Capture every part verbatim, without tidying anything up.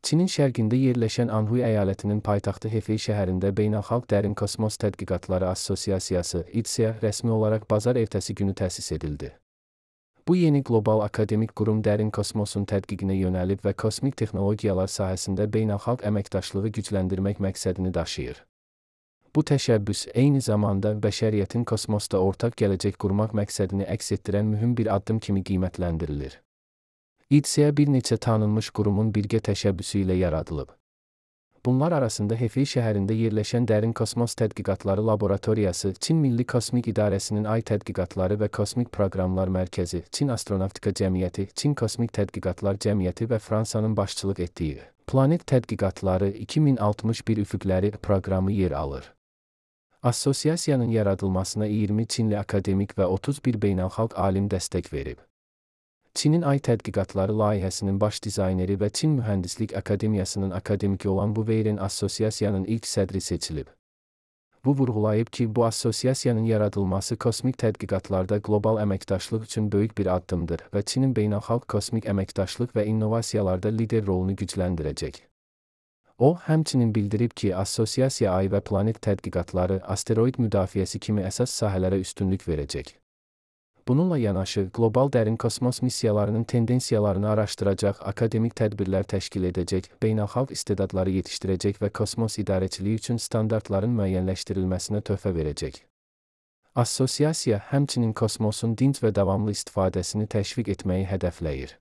Çinin şərqində yerləşən Anhui əyalətinin paytaxtı Hefei şəhərində Beynəlxalq Dərin Kosmos Tədqiqatları Assosiasiyası (I D S A) rəsmi olaraq bazar ertəsi günü təsis edildi. Bu yeni qlobal akademik qurum dərin kosmosun tədqiqinə yönəlib və kosmik texnologiyalar sahəsində beynəlxalq əməkdaşlığı gücləndirmək məqsədini daşıyır. Bu təşəbbüs eyni zamanda bəşəriyyətin kosmosda ortaq gələcək qurmaq məqsədini əks etdirən mühüm bir addım kimi qiymətləndirilir. I D S A bir neçə tanınmış qurumun birgə təşəbbüsü ilə yaradılıb. Bunlar arasında Hefei şəhərində yerləşən Dərin Kosmos Tədqiqatları Laboratoriyası, Çin Milli Kosmik İdarəsinin Ay Tədqiqatları və Kosmik Proqramlar Mərkəzi, Çin Astronavtika Cəmiyyəti, Çin Kosmik Tədqiqatlar Cəmiyyəti və Fransanın başçılıq etdiyi Planet Tədqiqatları iki min altmış bir Üfüqləri proqramı yer alır. Assosiasiyanın yaradılmasına iyirmi Çinli akademik və otuz bir beynəlxalq alim dəstək verib. Çinin Ay Tədqiqatları layihəsinin baş dizayneri və Çin Mühəndislik Akademiyasının akademiki olan Bu Weiren Assosiasiyanın ilk sədri seçilib. Bu vurğulayıb ki, bu assosiasiyanın yaradılması kosmik tədqiqatlarda qlobal əməkdaşlıq üçün böyük bir addımdır və Çinin beynəlxalq kosmik əməkdaşlıq və innovasiyalarda lider rolunu gücləndirəcək. O, həmçinin bildirib ki, assosiasiya Ay və planet tədqiqatları, asteroid müdafiəsi kimi əsas sahələrə üstünlük verəcək. Bununla yanaşı, qlobal dərin kosmos missiyalarının tendensiyalarını araşdıracaq, akademik tədbirlər təşkil edəcək, beynəlxalq istedadları yetişdirəcək və kosmos idarəçiliyi üçün standartların müəyyənləşdirilməsinə töhfə verəcək. Assosiasiya həmçinin kosmosun dinc və davamlı istifadəsini təşviq etməyi hədəfləyir.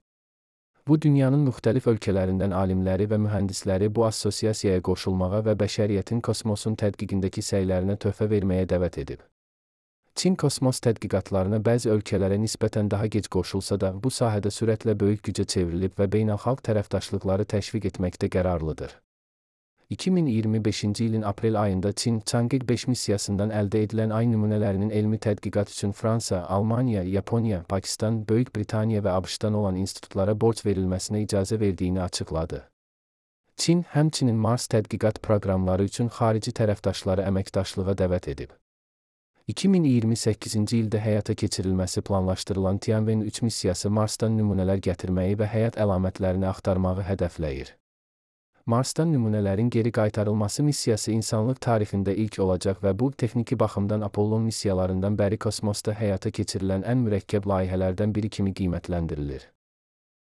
Bu, dünyanın müxtəlif ölkələrindən alimləri və mühəndisləri bu assosiasiyaya qoşulmağa və bəşəriyyətin kosmosun tədqiqindəki səylərinə töhfə verməyə dəvət edib. Çin kosmos tədqiqatlarına bəzi ölkələrə nisbətən daha gec qoşulsa da, bu sahədə sürətlə böyük gücə çevrilib və beynəlxalq tərəfdaşlıqları təşviq etməkdə qərarlıdır. iki min iyirmi beşinci ilin aprel ayında Çin, Chang'e beş missiyasından əldə edilən Ay nümunələrinin elmi tədqiqat üçün Fransa, Almaniya, Yaponiya, Pakistan, Böyük Britaniya və ABŞ-dan olan institutlara borc verilməsinə icazə verdiyini açıqladı. Çin, həmçinin Mars tədqiqat proqramları üçün xarici tərəfdaşları əməkdaşlığa dəvət edib. iki min iyirmi səkkizinci ildə həyata keçirilməsi planlaşdırılan Tianwen üç missiyası Marsdan nümunələr gətirməyi və həyat əlamətlərini axtarmağı hədəfləyir. Marsdan nümunələrin geri qaytarılması missiyası insanlıq tarixində ilk olacaq və bu, texniki baxımdan Apollon missiyalarından bəri kosmosda həyata keçirilən ən mürəkkəb layihələrdən biri kimi qiymətləndirilir.